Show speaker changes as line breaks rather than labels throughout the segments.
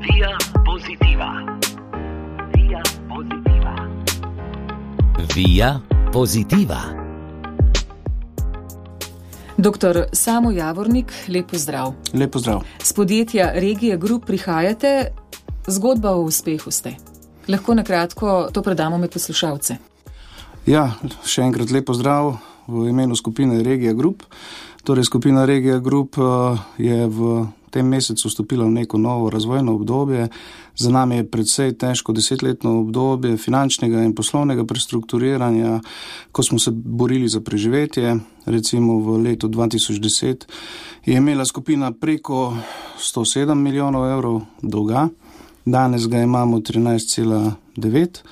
Via Positiva. Via Positiva.
Via Positiva.
Doktor Samo Javornik, lep pozdrav.
Lep pozdrav.
Z podjetja Regija Group prihajate, zgodba o uspehu ste. Lahko na kratko to predamo med poslušalce.
Ja, še enkrat lep pozdrav v imenu skupine Regija Group. Torej, skupina Regija Group je v tem mesecu vstopila v neko novo razvojno obdobje. Za nami je precej težko 10-letno obdobje finančnega in poslovnega prestrukturiranja, ko smo se borili za preživetje. Recimo v letu 2010 je imela skupina preko 107 milijonov evrov dolga, danes ga imamo 13,9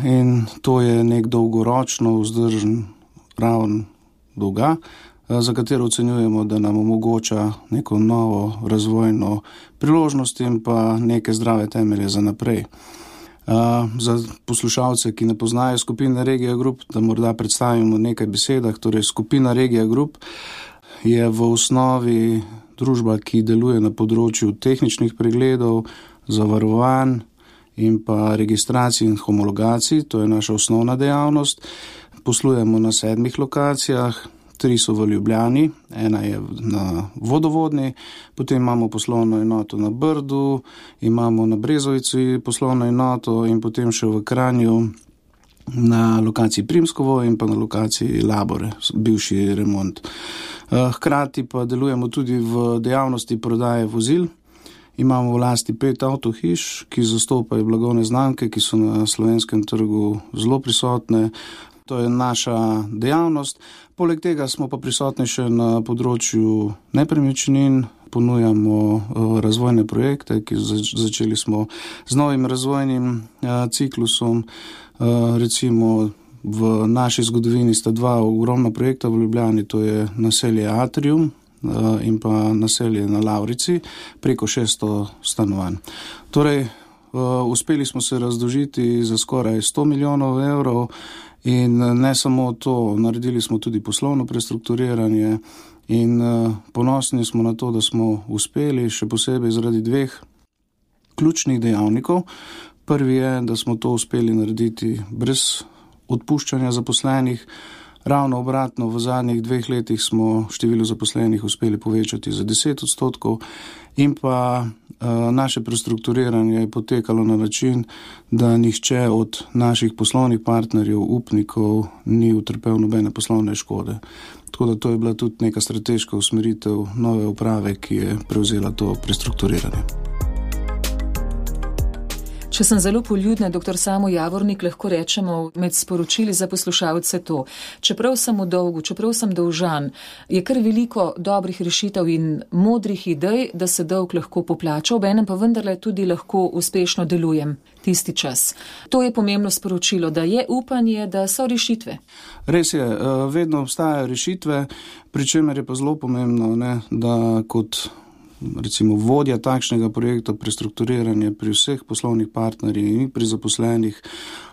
in to je nek dolgoročno vzdržen raven dolga, za katero ocenjujemo, da nam omogoča neko novo razvojno priložnost in pa neke zdrave temelje za naprej. Za poslušalce, ki ne poznajo skupine Regija Group, da morda predstavimo nekaj besedah. Torej, skupina Regija Group je v osnovi družba, ki deluje na področju tehničnih pregledov, zavarovanj in pa registracij in homologacij. To je naša osnovna dejavnost. Poslujemo na 7 lokacijah. 3 so v Ljubljani, ena je na Vodovodni, potem imamo poslovno enoto na Brdu, imamo na Brezovici poslovno enoto in potem še v Kranju na lokaciji Primskovo in pa na lokaciji Labore, bivši remont. Hkrati pa delujemo tudi v dejavnosti prodaje vozil. Imamo v lasti 5 avtohiš, ki zastopajo blagovne znamke, ki so na slovenskem trgu zelo prisotne. To je naša dejavnost. Poleg tega smo pa prisotni še na področju nepremičnin, ponujamo razvojne projekte, ki začeli smo z novim razvojnim ciklusom. Recimo v naši zgodovini sta 2 ogromna projekta v Ljubljani, to je naselje Atrium in pa naselje na Lavrici, preko 600 stanovanj. Torej, uspeli smo se razdolžiti za skoraj 100 milijonov evrov. In ne samo to, naredili smo tudi poslovno prestrukturiranje in ponosni smo na to, da smo uspeli, še posebej zaradi 2 ključnih dejavnikov. Prvi je, da smo to uspeli narediti brez odpuščanja zaposlenih. Ravno obratno, v zadnjih 2 letih smo število zaposlenih uspeli povečati za 10% in pa naše prestrukturiranje je potekalo na način, da nihče od naših poslovnih partnerjev, upnikov, ni utrpel nobene poslovne škode. Tako da to je bila tudi neka strateška usmeritev nove uprave, ki je prevzela to prestrukturiranje.
Če sem zelo poljudna, doktor Samo Javornik, lahko rečemo med sporočili za poslušalce to. Čeprav sem v dolgu, čeprav sem dolžan, je kar veliko dobrih rešitev in modrih idej, da se dolg lahko poplača, obenem pa vendarle tudi lahko uspešno delujem tisti čas. To je pomembno sporočilo, da je upanje, da so rešitve.
Res je, vedno obstajajo rešitve, pri čemer je pa zelo pomembno, da kot recimo vodja takšnega projekta prestrukturiranja pri vseh poslovnih partnerjih in pri zaposlenih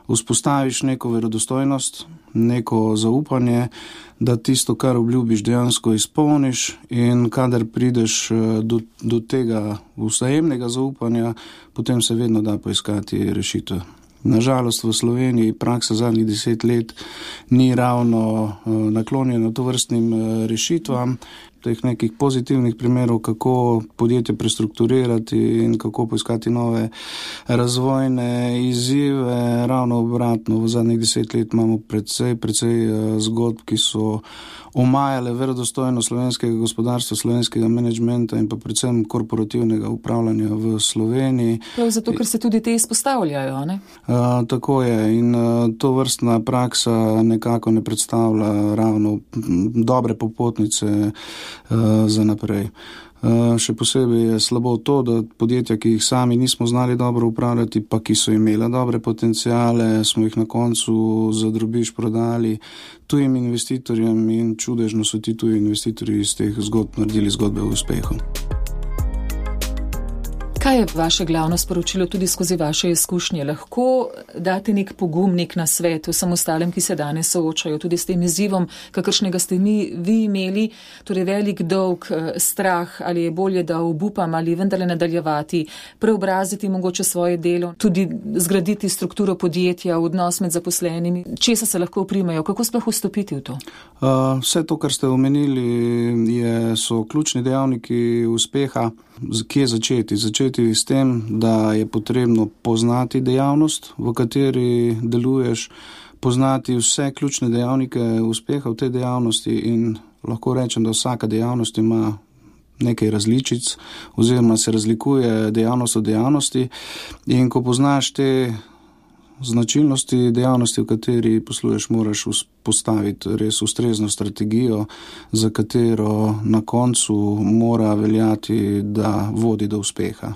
vzpostaviš neko verodostojnost, neko zaupanje, da tisto, kar obljubiš, dejansko izpolniš in kadar prideš do tega vzajemnega zaupanja, potem se vedno da poiskati rešitve. Nažalost v Sloveniji praksa zadnjih 10 let ni ravno naklonjena tovrstnim rešitvam, teh nekih pozitivnih primerov, kako podjetje prestrukturirati in kako poiskati nove razvojne izzive. Ravno obratno, v zadnjih 10 let imamo precej zgodb, ki so omajale verodostojno slovenskega gospodarstva, slovenskega menedžmenta in pa predvsem korporativnega upravljanja v Sloveniji.
Prav zato, ker se tudi te izpostavljajo, ne?
Tako je in to vrstna praksa nekako ne predstavlja ravno dobre popotnice za naprej. Še posebej je slabo to, da podjetja, ki jih sami nismo znali dobro upravljati, pa ki so imela dobre potencijale, smo jih na koncu za drobiž prodali tujim investitorjem in čudežno so ti tuji investitorji iz teh zgodb naredili zgodbe o uspehu.
Kaj je vaše glavno sporočilo tudi skozi vaše izkušnje? Lahko date nek pogum, nek nasvet vsem ostalim, ki se danes soočajo tudi s tem izzivom, kakršnega ste vi imeli, torej velik dolg, strah, ali je bolje, da obupam ali vendarle nadaljevati, preobraziti mogoče svoje delo, tudi zgraditi strukturo podjetja, odnos med zaposlenimi, česa se lahko oprimejo, kako sploh vstopiti v to?
Vse to, kar ste omenili, so ključni dejavniki uspeha. Kje začeti? Začeti s tem, da je potrebno poznati dejavnost, v kateri deluješ, poznati vse ključne dejavnike uspeha v tej dejavnosti in lahko rečem, da vsaka dejavnost ima nekaj različic oziroma se razlikuje dejavnost od dejavnosti in ko poznaš te značilnosti dejavnosti, v kateri posluješ, moraš postaviti res ustrezno strategijo, za katero na koncu mora veljati, da vodi do uspeha.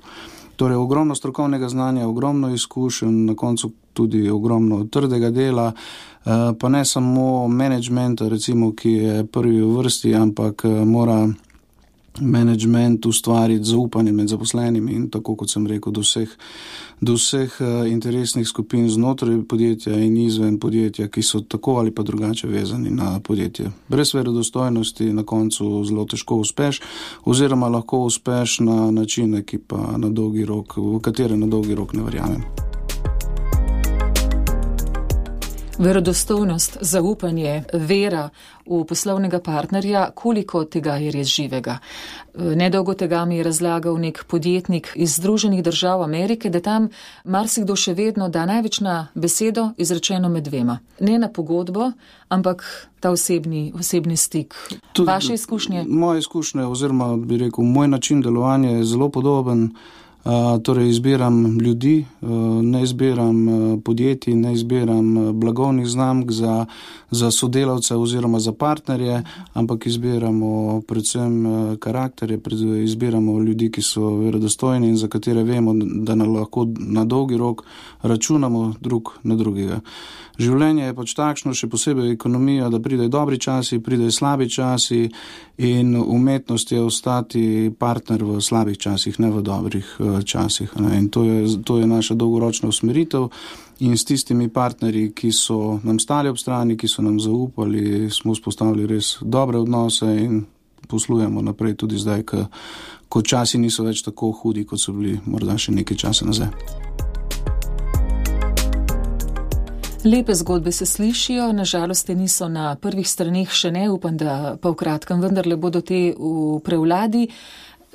Torej, ogromno strokovnega znanja, ogromno izkušenj, na koncu tudi ogromno trdega dela, pa ne samo menedžmenta, recimo, ki je prvi v vrsti, ampak mora menedžment ustvariti zaupanje med zaposlenimi in tako, kot sem rekel, do vseh interesnih skupin znotraj podjetja in izven podjetja, ki so tako ali pa drugače vezani na podjetje. Brez verodostojnosti na koncu zelo težko uspeš oziroma lahko uspeš na načine, ki pa na dolgi rok, v katere na dolgi rok ne verjamem.
Verodostojnost, zaupanje, vera v poslovnega partnerja, koliko tega je res živega? Nedolgo tega mi je razlagal nek podjetnik iz Združenih držav Amerike, da tam marsikdo še vedno da največ na besedo izrečeno med dvema. Ne na pogodbo, ampak ta osebni stik. Vaše izkušnje?
Moje izkušnje oziroma bi rekel, moj način delovanja je zelo podoben. Torej izbiram ljudi, ne izbiram podjetij, ne izbiram blagovnih znamk za sodelavce oziroma za partnerje, ampak izbiramo predvsem karakterje, izbiramo ljudi, ki so verodostojni in za katere vemo, da lahko na dolgi rok računamo drug na drugega. Življenje je pač takšno, še posebej ekonomija, da pridejo dobri časi, pridejo slabi časi in umetnost je ostati partner v slabih časih, ne v dobrih časih. In to je naša dolgoročna usmeritev in s tistimi partnerji, ki so nam stali ob strani, ki so nam zaupali, smo vzpostavili res dobre odnose in poslujemo naprej tudi zdaj, ko časi niso več tako hudi, kot so bili morda še nekaj časa nazaj.
Lepe zgodbe se slišijo, nažalost te niso na prvih straneh, še ne, upam, da pa v kratkem vendarle bodo te v prevladi.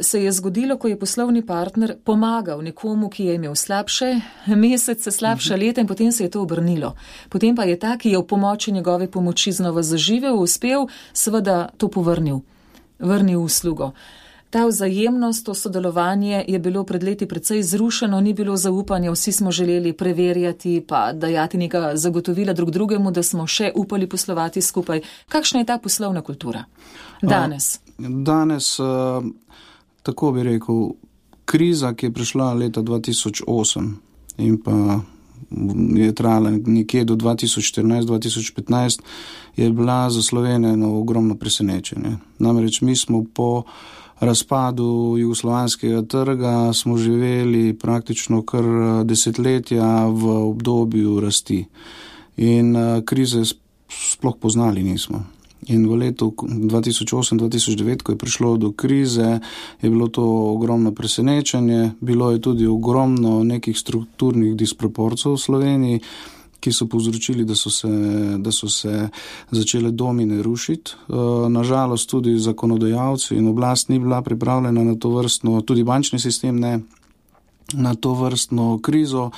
Se je zgodilo, ko je poslovni partner pomagal nekomu, ki je imel slabše mesece, slabša leta in potem se je to obrnilo. Potem pa je ta, ki je v pomoči njegove pomoči znova zaživel, uspel, seveda to vrnil uslugo. Ta vzajemnost, to sodelovanje je bilo pred leti precej zrušeno, ni bilo zaupanja, vsi smo želeli preverjati pa dajati neka zagotovila drug drugemu, da smo še upali poslovati skupaj. Kakšna je ta poslovna kultura danes?
Danes, tako bi rekel, kriza, ki je prišla leta 2008 in pa je trajala nekje do 2014-2015, je bila za Slovenijo eno ogromno presenečenje. Namreč mi smo po razpadu jugoslovanskega trga smo živeli praktično kar desetletja v obdobju rasti in krize sploh poznali nismo. In v letu 2008-2009, ko je prišlo do krize, je bilo to ogromno presenečenje, bilo je tudi ogromno nekih strukturnih disproporcij v Sloveniji, ki so povzročili, da so se začele domine rušiti. Nažalost tudi zakonodajalci in oblast ni bila pripravljena na to vrstno, tudi bančni sistem ne, na to vrstno krizo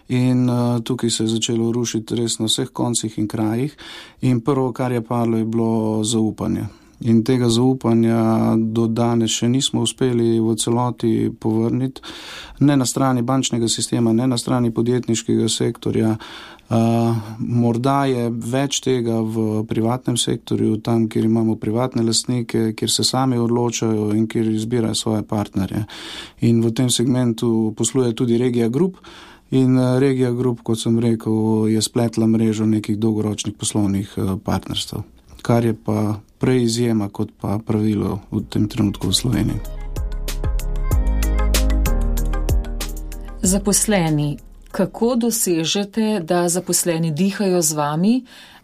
in tukaj se je začelo rušiti res na vseh koncih in krajih in prvo, kar je padlo, je bilo zaupanje. In tega zaupanja do danes še nismo uspeli v celoti povrniti, ne na strani bančnega sistema, ne na strani podjetniškega sektorja. Morda je več tega v privatnem sektorju, tam, kjer imamo privatne lastnike, kjer se sami odločajo in kjer izbirajo svoje partnerje. In v tem segmentu posluje tudi Regija Group in Regija Group, kot sem rekel, je spletla mrežo nekih dolgoročnih poslovnih partnerstv, kar je pa prej izjema kot pa pravilo v tem trenutku v Sloveniji.
Zaposleni, kako dosežete, da zaposleni dihajo z vami,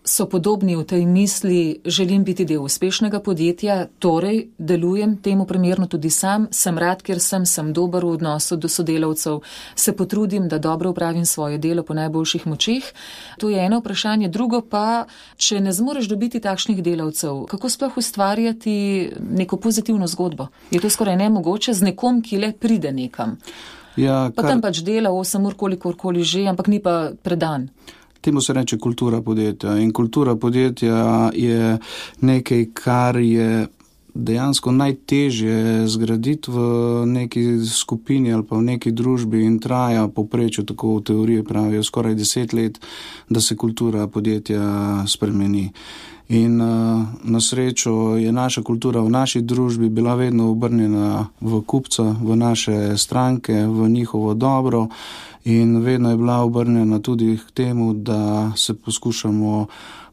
so podobni v tej misli, želim biti del uspešnega podjetja, torej delujem temu primerno tudi sam, sem rad, ker sem dober v odnosu do sodelavcev, se potrudim, da dobro upravim svoje delo po najboljših močeh. To je eno vprašanje. Drugo pa, če ne zmoreš dobiti takšnih delavcev, kako sploh ustvarjati neko pozitivno zgodbo? Je to skoraj nemogoče z nekom, ki le pride nekam?
Ja,
pa tam pač dela 8 ur, kolikorkoli že, ampak ni pa predan.
Temu se reče kultura podjetja in kultura podjetja je nekaj, kar je dejansko najtežje zgraditi v neki skupini ali pa v neki družbi in traja povprečju, tako v teoriji pravijo, skoraj 10 let, da se kultura podjetja spremeni. In na srečo je naša kultura v naši družbi bila vedno obrnjena v kupca, v naše stranke, v njihovo dobro in vedno je bila obrnjena tudi k temu, da se poskušamo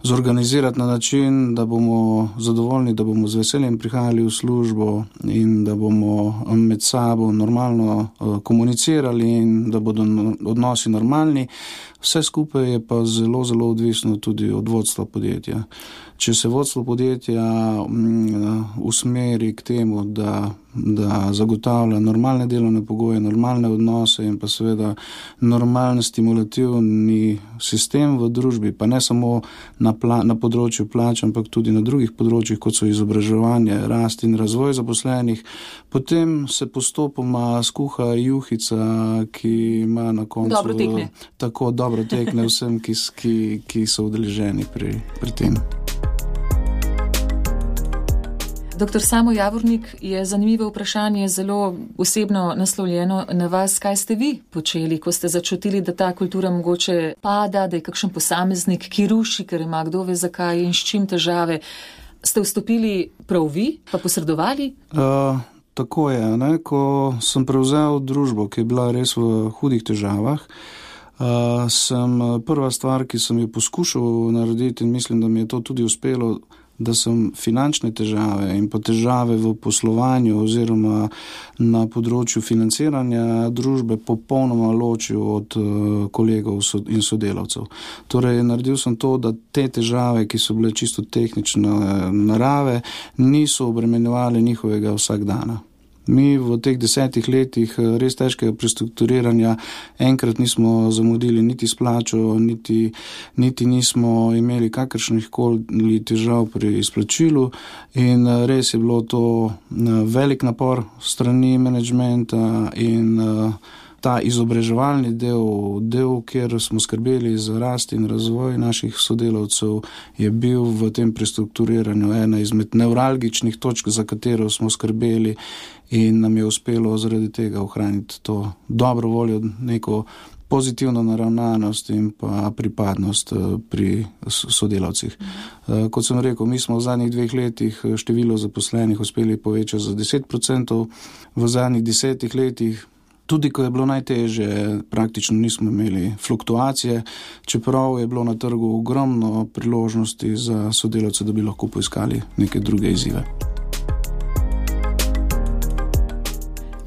zorganizirati na način, da bomo zadovoljni, da bomo z veseljem prihajali v službo in da bomo med sabo normalno komunicirali in da bodo odnosi normalni. Vse skupaj je pa zelo, zelo odvisno tudi od vodstva podjetja. Če se vodstvo podjetja usmeri k temu, da zagotavlja normalne delovne pogoje, normalne odnose in pa seveda normalen stimulativni sistem v družbi, pa ne samo na področju plač, ampak tudi na drugih področjih, kot so izobraževanje, rast in razvoj zaposlenih, potem se postopoma skuha juhica, ki ima na koncu
dobro tekne.
Tako dobro tekne vsem, ki so udeleženi pri tem.
Doktor Samo Javornik, je zanimivo vprašanje, zelo osebno naslovljeno na vas. Kaj ste vi počeli, ko ste začutili, da ta kultura mogoče pada, da je kakšen posameznik, ki ruši, ker ima kdo ve zakaj in s čim težave? Ste vstopili prav vi, pa posredovali?
Tako je, ne? Ko sem prevzel družbo, ki je bila res v hudih težavah, sem prva stvar, ki sem jo poskušal narediti in mislim, da mi je to tudi uspelo, da sem finančne težave in pa težave v poslovanju oziroma na področju financiranja družbe popolnoma ločil od kolegov in sodelavcev. Torej, naredil sem to, da te težave, ki so bile čisto tehnične narave, niso obremenjevali njihovega vsakdana. Mi v teh 10 letih res težkega prestrukturiranja enkrat nismo zamudili niti s plačo, niti nismo imeli kakršnih koli težav pri izplačilu in res je bilo to velik napor strani menedžmenta in ta izobraževalni del, kjer smo skrbeli za rast in razvoj naših sodelavcev, je bil v tem prestrukturiranju ena izmed nevralgičnih točk, za katero smo skrbeli in nam je uspelo zaradi tega ohraniti to dobro voljo, neko pozitivno naravnanost in pa pripadnost pri sodelavcih. Kot sem rekel, mi smo v zadnjih 2 letih število zaposlenih uspeli povečati za 10%, v zadnjih 10 letih tudi ko je bilo najtežje, praktično nismo imeli fluktuacije, čeprav je bilo na trgu ogromno priložnosti za sodelavce, da bi lahko poiskali neke druge izzive.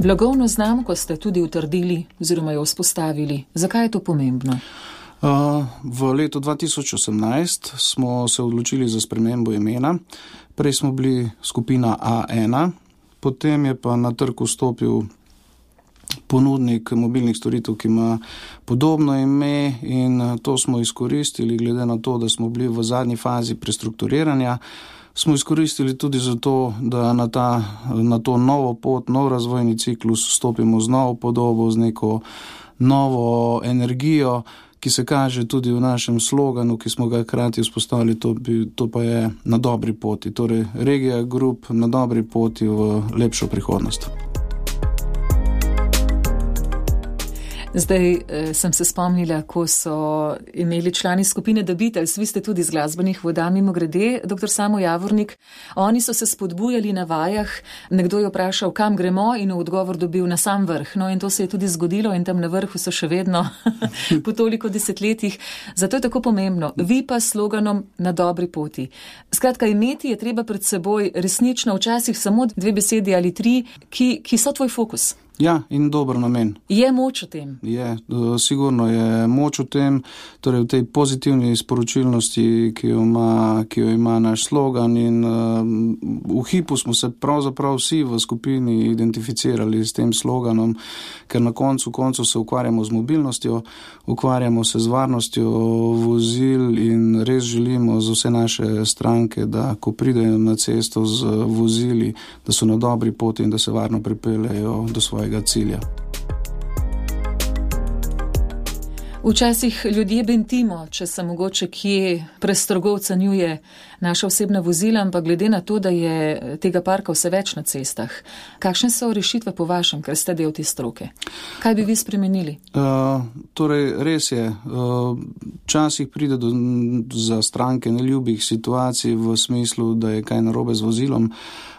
Blagovno znamko ste tudi utrdili oziroma jo vzpostavili. Zakaj je to pomembno?
V letu 2018 smo se odločili za spremembo imena. Prej smo bili skupina A1, potem je pa na trg vstopil ponudnik mobilnih storitev, ki ima podobno ime in to smo izkoristili, glede na to, da smo bili v zadnji fazi prestrukturiranja. Smo izkoristili tudi zato, da na to novo pot, nov razvojni ciklus stopimo z novo podobo, z neko novo energijo, ki se kaže tudi v našem sloganu, ki smo ga hkrati vzpostavili, to pa je na dobri poti. Torej, Regija Group na dobri poti v lepšo prihodnost.
Zdaj sem se spomnila, ko so imeli člani skupine The Beatles, vi ste tudi z glasbenih voda, mimogrede, doktor Samo Javornik, oni so se spodbujali na vajah, nekdo je vprašal, kam gremo in v odgovor dobil na sam vrh. No in to se je tudi zgodilo in tam na vrhu so še vedno po toliko desetletjih. Zato je tako pomembno, vi pa s sloganom na dobri poti. Skratka, imeti je treba pred seboj resnično včasih samo 2 besedi ali 3, ki so tvoj fokus.
Ja, in dober namen.
Je moč v tem?
Je, sigurno je moč v tem, torej v tej pozitivni sporočilnosti, ki jo ima naš slogan, in v hipu smo se pravzaprav vsi v skupini identificirali s tem sloganom, ker na koncu se ukvarjamo z mobilnostjo, ukvarjamo se z varnostjo vozil in res želimo za vse naše stranke, da ko pridejo na cesto z vozili, da so na dobri poti in da se varno pripeljejo do svojega cilja.
Včasih ljudje bentimo, če se mogoče kje prestrogo ocenjuje naša osebna vozila, ampak glede na to, da je tega parka vse več na cestah. Kakšne so rešitve po vašem, ker ste del te stroke? Kaj bi vi spremenili?
Torej, res je. Včasih pride za stranke neljubih situacij v smislu, da je kaj narobe z vozilom,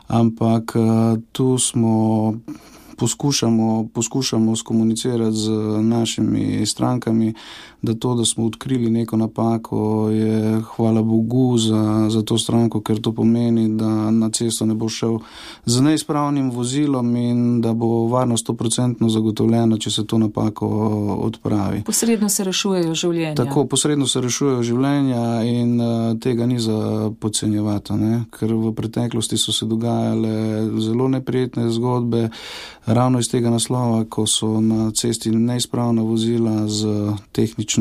ampak tu poskušamo skomunicirati z našimi strankami, da to, da smo odkrili neko napako, je hvala Bogu za to stranko, ker to pomeni, da na cesto ne bo šel z neizpravnim vozilom in da bo varnost 100% zagotovljena, če se to napako odpravi.
Posredno se rešujejo življenja.
Tako, posredno se rešujejo življenja in tega ni za podcenjevati, ne? Ker v preteklosti so se dogajale zelo neprijetne zgodbe, ravno iz tega naslova, ko so na cesti neizpravna vozila z tehnično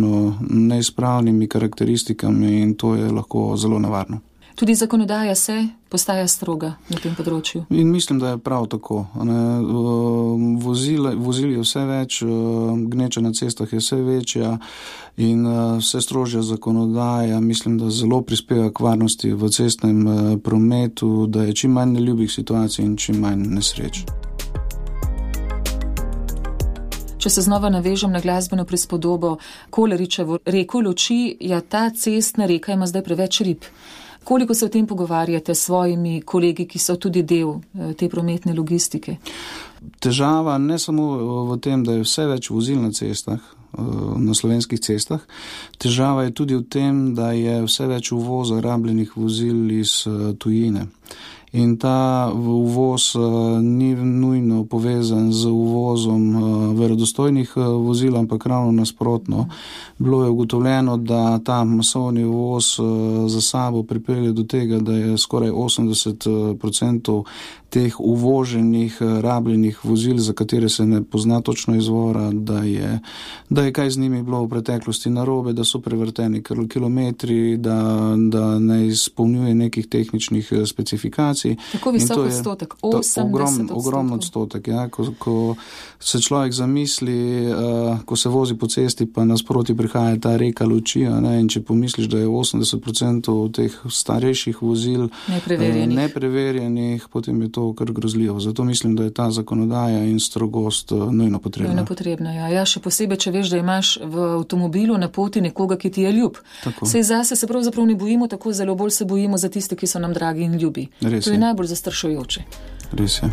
neizpravnimi karakteristikami, in to je lahko zelo nevarno.
Tudi zakonodaja postaja stroga na tem področju.
In mislim, da je prav tako. Vozil je vse več, gneča na cestah je vse večja in vse strožja zakonodaja, mislim, da zelo prispeva k varnosti v cestnem prometu, da je čim manj neljubih situacij in čim manj nesreč.
Če se znova navežem na glasbeno prispodobo Koleričevo reko luči, ta cestna reka ima zdaj preveč rib. Koliko se o tem pogovarjate s svojimi kolegi, ki so tudi del te prometne logistike?
Težava ne samo v tem, da je vse več vozil na cestah, na slovenskih cestah. Težava je tudi v tem, da je vse več uvoza rabljenih vozil iz tujine. In ta uvoz ni nujno povezan z uvozom verodostojnih vozil, ampak ravno nasprotno. Bilo je ugotovljeno, da ta masovni uvoz za sabo pripelje do tega, da je skoraj 80% teh uvoženih rabljenih vozil, za katere se ne pozna točno izvora, da je kaj z njimi bilo v preteklosti narobe, da so prevrteni kilometri, da ne izpolnjuje nekih tehničnih specifikacij.
Tako visok odstotek, 80%.
Ogromno odstotek, ja. Ko se človek zamisli, ko se vozi po cesti, pa nasproti prihaja ta reka luči, ne, in če pomisliš, da je 80% teh starejših vozil nepreverjenih, potem je to kar grozljivo. Zato mislim, da je ta zakonodaja in strogost nujno potrebna.
Nujno potrebna, ja. Ja, še posebej, če veš, da imaš v avtomobilu na poti nekoga, ki ti je ljub. Saj zase se pravzaprav ne bojimo tako zelo, bolj se bojimo za tiste, ki so nam dragi in ljubi.
Res
to je najbolj zastrašujoče.
Res je.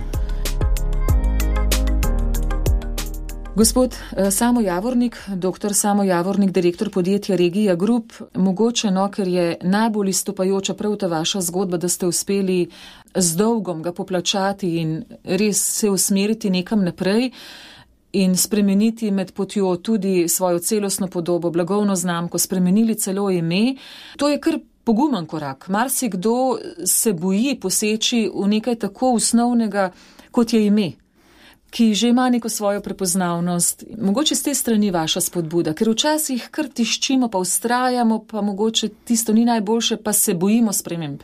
Gospod Samo Javornik, dr. Samo Javornik, direktor podjetja Regija Group, mogoče, ker je najbolj izstopajoča prav ta vaša zgodba, da ste uspeli z dolgom ga poplačati in res se usmeriti nekam naprej in spremeniti med potjo tudi svojo celostno podobo, blagovno znamko, spremenili celo ime. To je kar pogumen korak. Marsikdo se boji poseči v nekaj tako osnovnega, kot je ime, ki že ima neko svojo prepoznavnost. Mogoče z te strani vaša spodbuda, ker včasih kar tiščimo, pa vztrajamo, pa mogoče tisto ni najboljše, pa se bojimo sprememb,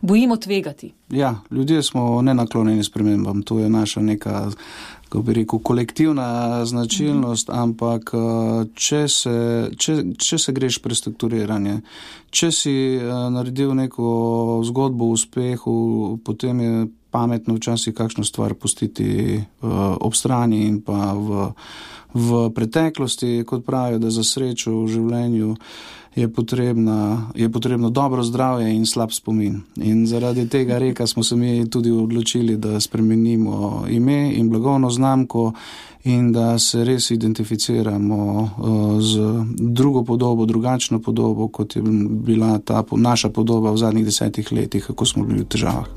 bojimo tvegati. Ja,
ljudje smo nenaklonjeni spremembam, to je naša neka, kako bi rekel, kolektivna značilnost, ampak če se greš prestrukturiranje, če si naredil neko zgodbo o uspehu, potem je pametno včasih kakšno stvar pustiti ob strani in pa v preteklosti, kot pravijo, da za srečo v življenju je potrebno dobro zdravje in slab spomin. In zaradi tega reka smo se mi tudi odločili, da spremenimo ime in blagovno znamko in da se res identificiramo z drugo podobo, drugačno podobo, kot je bila ta naša podoba v zadnjih 10 letih, kako smo bili v težavah.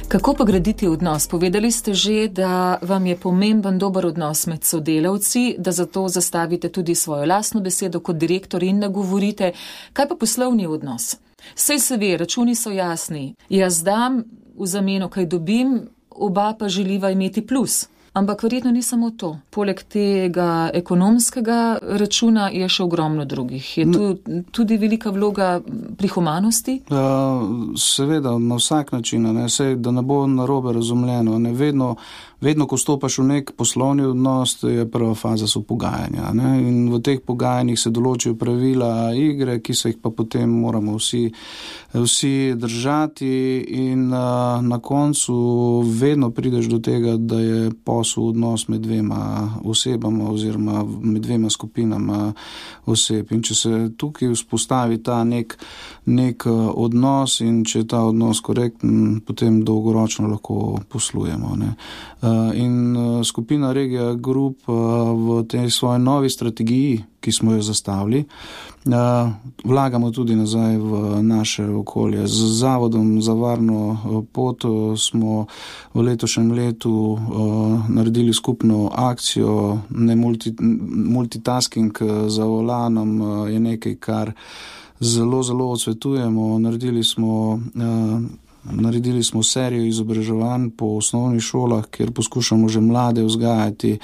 Kako pa graditi odnos? Povedali ste že, da vam je pomemben dober odnos med sodelavci, da zato zastavite tudi svojo lastno besedo kot direktor in nagovorite. Kaj pa poslovni odnos? Sej se ve, računi so jasni. Jaz dam, v zameno kaj dobim, oba pa želiva imeti plus. Ampak verjetno ni samo to. Poleg tega ekonomskega računa je še ogromno drugih. Je tu tudi velika vloga pri humanosti?
Seveda, na vsak način, da ne bo narobe razumljeno. Vedno, ko stopaš v nek poslovni odnos, je prva faza so pogajanja. In v teh pogajanjih se določijo pravila igre, ki se jih pa potem moramo vsi držati in na koncu vedno prideš do tega, da je posel odnos med dvema osebama oziroma med dvema skupinama oseb. In če se tukaj vzpostavi ta nek odnos in če je ta odnos korekten, potem dolgoročno lahko poslujemo. In skupina Regija Group v tej svoji novi strategiji, ki smo jo zastavili, vlagamo tudi nazaj v naše okolje. Z Zavodom za varno pot smo v letošnjem letu naredili skupno akcijo, multitasking za volanom je nekaj, kar zelo, zelo odsvetujemo. Naredili smo serijo izobraževanj po osnovnih šolah, kjer poskušamo že mlade vzgajati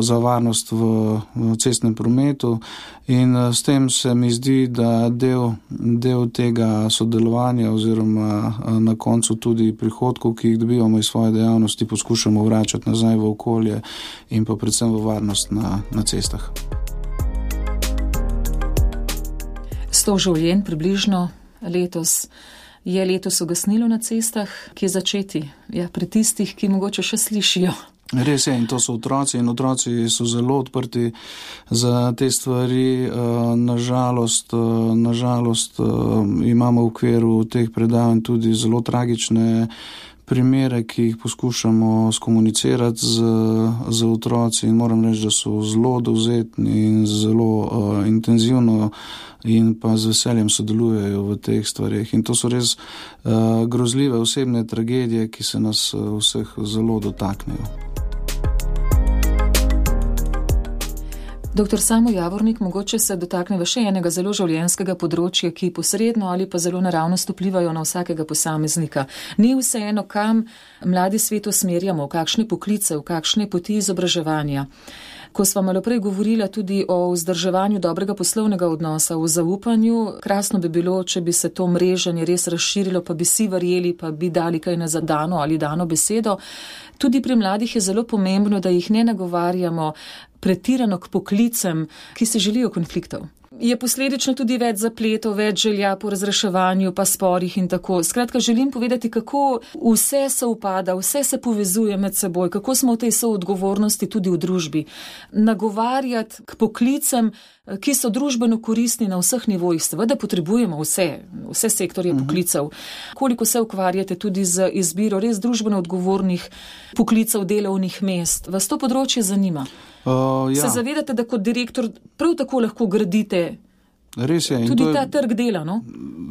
za varnost v cestnem prometu in s tem se mi zdi, da del tega sodelovanja oziroma na koncu tudi prihodkov, ki jih dobivamo iz svoje dejavnosti, poskušamo vračati nazaj v okolje in pa predvsem v varnost na cestah.
100 življenj približno letos. Je letos ugasnilo na cestah, kje začeti? Ja, pri tistih, ki mogoče še slišijo.
Res je, in to so otroci in otroci so zelo odprti za te stvari. Nažalost, imamo v okviru teh predavanj tudi zelo tragične primere, ki jih poskušamo skomunicirati z otroci in moram reči, da so zelo dovzetni in zelo intenzivno in pa z veseljem sodelujejo v teh stvarih. In to so res grozljive osebne tragedije, ki se nas vseh zelo dotaknejo.
Doktor Samo Javornik, mogoče se dotakneva še enega zelo življenjskega področja, ki posredno ali pa zelo naravnost vplivajo na vsakega posameznika. Ni vseeno, kam mladi svet usmerjamo, v kakšne poklice, v kakšne poti izobraževanja. Ko sva malo prej govorila tudi o vzdrževanju dobrega poslovnega odnosa, o zaupanju, krasno bi bilo, če bi se to mreženje res razširilo, pa bi si verjeli, pa bi dali kaj na zadano ali dano besedo. Tudi pri mladih je zelo pomembno, da jih ne nagovarjamo pretirano k poklicem, ki si želijo konfliktov. Je posledično tudi več zapletov, več želja po razreševanju, pa sporih in tako. Skratka, želim povedati, kako vse se upada, vse se povezuje med seboj, kako smo v tej soodgovornosti tudi v družbi. Nagovarjati k poklicem, ki so družbeno koristni na vseh nivojih. Seveda potrebujemo vse sektorje poklicev. Koliko se ukvarjate tudi z izbiro res družbeno odgovornih poklicev, delovnih mest? Vas to področje zanima?
Ja.
Se zavedate, da kot direktor prav tako lahko gradite
Res je,
tudi ta trg dela, no?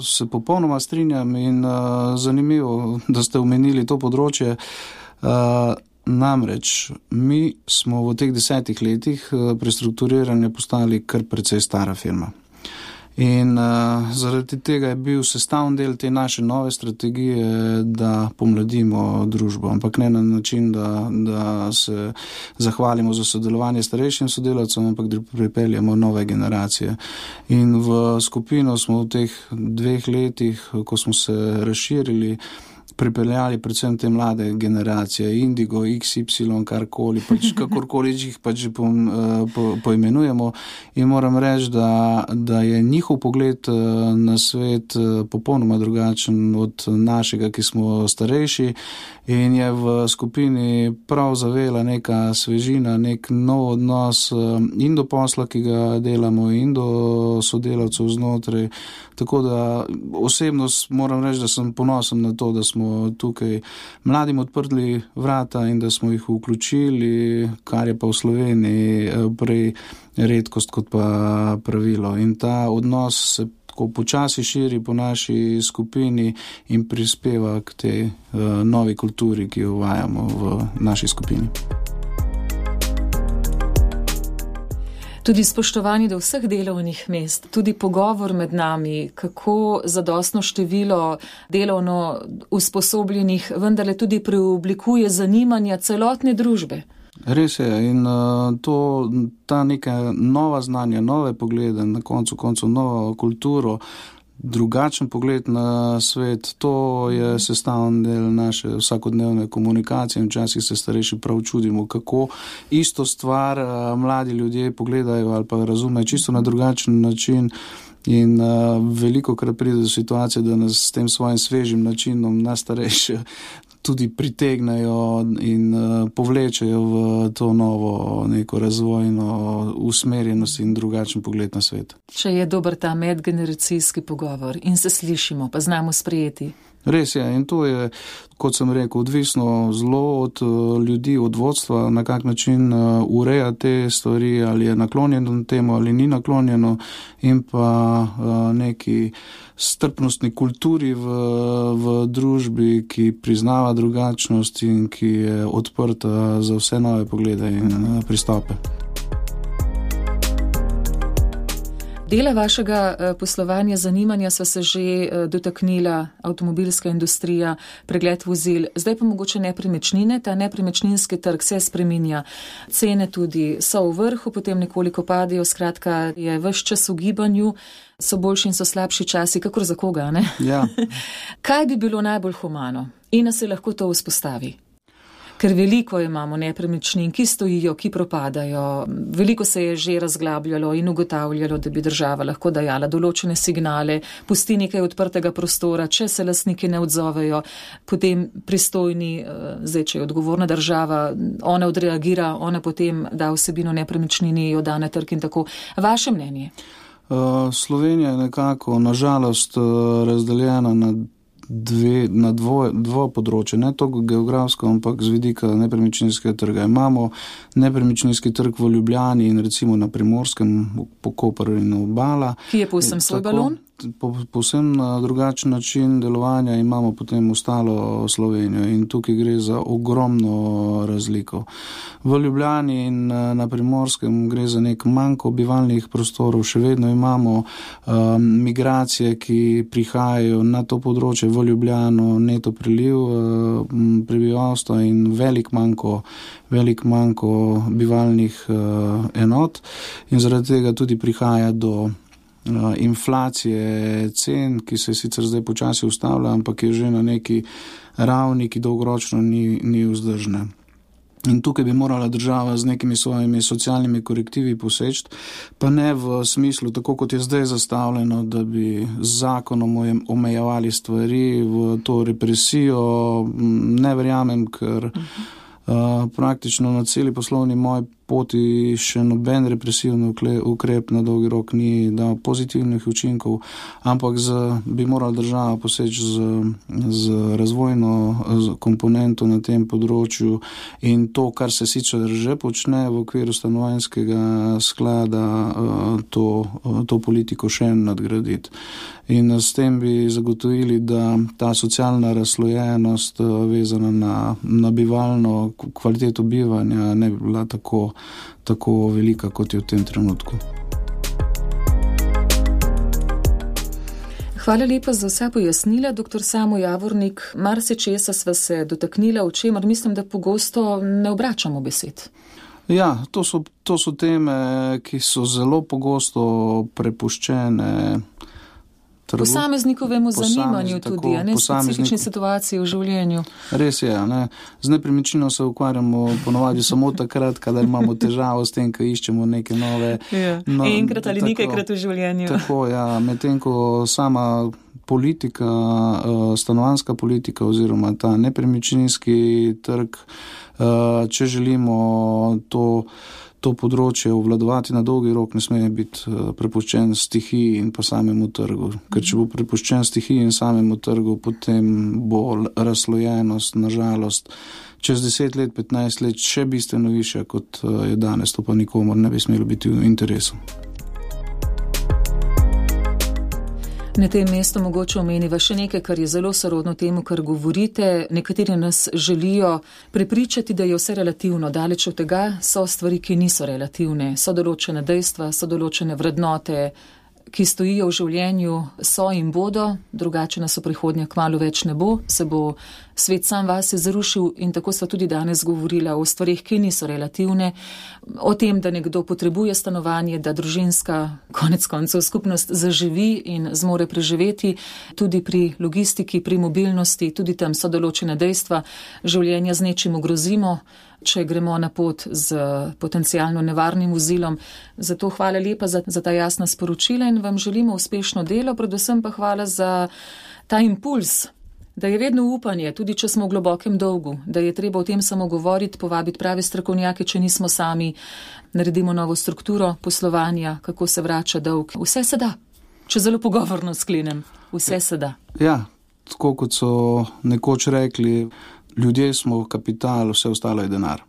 Se popolnoma strinjam in zanimivo, da ste omenili to področje. Namreč, mi smo v teh 10 letih prestrukturiranja postali kar precej stara firma. In zaradi tega je bil sestavni del te naše nove strategije, da pomladimo družbo, ampak ne na način, da se zahvalimo za sodelovanje starejšim sodelavcem, ampak da pripeljemo nove generacije. In v skupino smo v teh 2 letih, ko smo se razširili, pripeljali predvsem te mlade generacije, Indigo, XY, karkoli, kakorkoli jih pač poimenujemo. In moram reči, da je njihov pogled na svet popolnoma drugačen od našega, ki smo starejši, in je v skupini prav zavela neka svežina, nek nov odnos in do posla, ki ga delamo, in do sodelavcev znotraj. Tako da osebno moram reči, da sem ponosen na to, da smo tukaj mladim odprli vrata in da smo jih vključili, kar je pa v Sloveniji prej redkost kot pa pravilo. In ta odnos se tako počasi širi po naši skupini in prispeva k tej novi kulturi, ki jo uvajamo v naši skupini.
Tudi spoštovanje do vseh delovnih mest, tudi pogovor med nami, kako zadostno število delovno usposobljenih vendarle tudi preoblikuje zanimanja celotne družbe.
Res je, in ta neka nova znanja, nove poglede, na koncu novo kulturo, drugačen pogled na svet, to je sestavni del naše vsakodnevne komunikacije in včasih se starejši prav čudimo, kako isto stvar mladi ljudje pogledajo ali pa razumejo čisto na drugačen način. In veliko krat pride do situacije, da nas s tem svojim svežim načinom nas starejši tudi pritegnajo in povlečejo v to novo neko razvojno usmerjenost in drugačen pogled na svet.
Če je dober ta medgeneracijski pogovor in se slišimo, pa znamo sprejeti.
Res je, in to je, kot sem rekel, odvisno zelo od ljudi, od vodstva, na kak način ureja te stvari, ali je naklonjeno temu ali ni naklonjeno, in pa neki strpnostni kulturi v družbi, ki priznava drugačnost in ki je odprta za vse nove poglede in pristope.
Dela vašega poslovanja, zanimanja sva se že dotaknila, avtomobilska industrija, pregled vozil, zdaj pa mogoče nepremičnine, ta nepremičninski trg se spreminja, cene tudi so v vrhu, potem nekoliko padajo, skratka je ves čas v gibanju, so boljši in so slabši časi, kakor za koga, ne?
Ja.
Kaj bi bilo najbolj humano in da se lahko to vzpostavi? Ker veliko imamo nepremičnin, ki stojijo, ki propadajo. Veliko se je že razglabljalo in ugotavljalo, da bi država lahko dajala določene signale, pusti nekaj odprtega prostora, če se lastniki ne odzovejo, potem pristojni, zdaj če je odgovorna država, ona odreagira, ona potem da vsebino nepremičnini, jo da na trg in tako. Vaše mnenje?
Slovenija je nekako, nažalost, razdeljena na dvo področje, ne toliko geografsko, ampak z vidika nepremičninskega trga. Imamo nepremičninski trg v Ljubljani in recimo na Primorskem, po Koper in Obala.
Ki je povsem svoj balon?
Povsem na drugačen način delovanja imamo potem ostalo Slovenijo in tukaj gre za ogromno razliko. V Ljubljani in na Primorskem gre za nek manko bivalnih prostorov, še vedno imamo migracije, ki prihajajo na to področje v Ljubljano, neto priliv prebivalstva in velik manko bivalnih enot in zaradi tega tudi prihaja do inflacije cen, ki se sicer zdaj počasi ustavlja, ampak je že na neki ravni, ki dolgoročno ni vzdržna. In tukaj bi morala država z nekimi svojimi socialnimi korektivi poseči, pa ne v smislu, tako kot je zdaj zastavljeno, da bi z zakonom omejevali stvari v to represijo. Ne verjamem, ker praktično na celi poslovni moji poti še noben represivni ukrep na dolgi rok ni dal pozitivnih učinkov, ampak bi morala država poseči z razvojno komponento na tem področju in to, kar se sicer že počne v okviru stanovanjskega sklada, to politiko še nadgraditi. In s tem bi zagotovili, da ta socialna razslojenost vezana na bivalno kvaliteto bivanja ne bi bila tako velika, kot je v tem trenutku.
Hvala lepa za vsa pojasnila, dr. Samo Javornik. Marsičesa sva se dotaknila, o čemer mislim, da pogosto ne obračamo besed.
Ja, to so teme, ki so zelo pogosto prepuščene
posameznikovemu zanimanju tudi, ne specifični situaciji v življenju.
Res je, ne. Z nepremičnino se ukvarjamo ponovadi samo takrat, kadar imamo težavo s tem, ko iščemo neke nove.
Ja. Enkrat ali nekajkrat v življenju.
Tako, ja, medtem ko sama politika, stanovanjska politika oziroma ta nepremičninski trg, če želimo to področje obvladovati na dolgi rok, ne sme biti prepuščen stihiji in pa samemu trgu. Ker če bo prepuščen stihiji in samemu trgu, potem bo razslojenost, nažalost, čez 10 let, 15 let še bistveno više, kot je danes. To pa nikomor ne bi smelo biti v interesu.
Na tem mestu mogoče omeniva še nekaj, kar je zelo sorodno temu, kar govorite. Nekateri nas želijo prepričati, da je vse relativno. Daleč od tega so stvari, ki niso relativne. So določene dejstva, so določene vrednote, ki stojijo v življenju, so in bodo, drugače nas v prihodnje kmalu več ne bo, se bo svet sam vase zarušil in tako sta tudi danes govorila o stvarih, ki niso relativne, o tem, da nekdo potrebuje stanovanje, da družinska konec koncev skupnost zaživi in zmore preživeti, tudi pri logistiki, pri mobilnosti, tudi tam so določene dejstva, življenja z nečim ogrozimo, če gremo na pot z potencialno nevarnim vozilom. Zato hvala lepa za ta jasna sporočila in vam želimo uspešno delo, predvsem pa hvala za ta impuls, da je vedno upanje, tudi če smo v globokem dolgu, da je treba o tem samo govoriti, povabiti prave strokovnjake, če nismo sami, naredimo novo strukturo poslovanja, kako se vrača dolg. Vse se da, če zelo pogovorno sklenem, vse se da.
Ja, tako kot so nekoč rekli, ljudje smo kapital, vse ostalo je denar.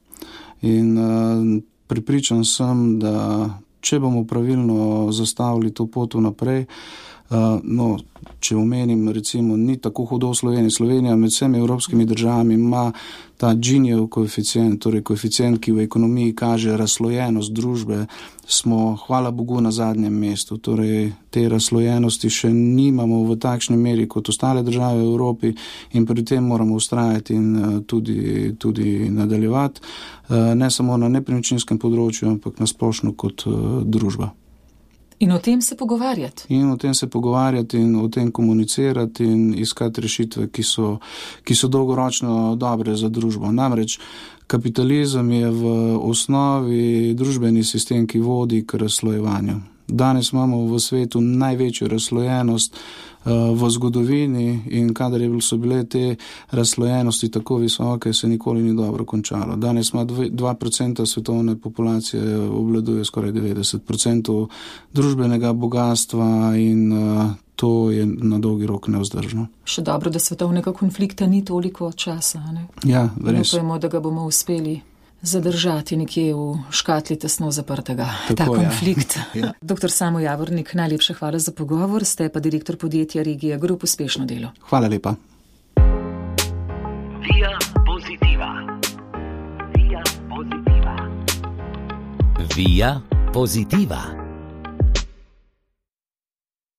In prepričan sem, da če bomo pravilno zastavili to pot naprej, če omenim, recimo, ni tako hudo v Sloveniji. Slovenija med vsemi evropskimi državami ima ta Ginijev koeficient, torej koeficient, ki v ekonomiji kaže razslojenost družbe, smo, hvala Bogu, na zadnjem mestu. Torej, te razslojenosti še nimamo v takšni meri kot ostale države v Evropi in pri tem moramo ustrajati in tudi nadaljevati, ne samo na nepremičninskem področju, ampak na splošno kot družba.
In o tem se pogovarjati.
In o tem se pogovarjati in o tem komunicirati in iskati rešitve, ki so dolgoročno dobre za družbo. Namreč kapitalizem je v osnovi družbeni sistem, ki vodi k razslojevanju. Danes imamo v svetu največjo razslojenost v zgodovini in kadar so bile te razslojenosti tako visoke, se nikoli ni dobro končalo. Danes ima 2% svetovne populacije, obvladuje skoraj 90% družbenega bogatstva in to je na dolgi rok nevzdržno.
Še dobro, da svetovnega konflikta ni toliko časa, ne?
Ja, res.
Upajmo, da ga bomo uspeli zadržati nekje v škatli tesno zaprtega. Ta konflikt. Ja. Dr. Samo Javornik, najlepša hvala za pogovor, ste pa direktor podjetja Regija Group. Uspešno delo.
Hvala lepa.
Via Positiva. Via Positiva.
Via Positiva.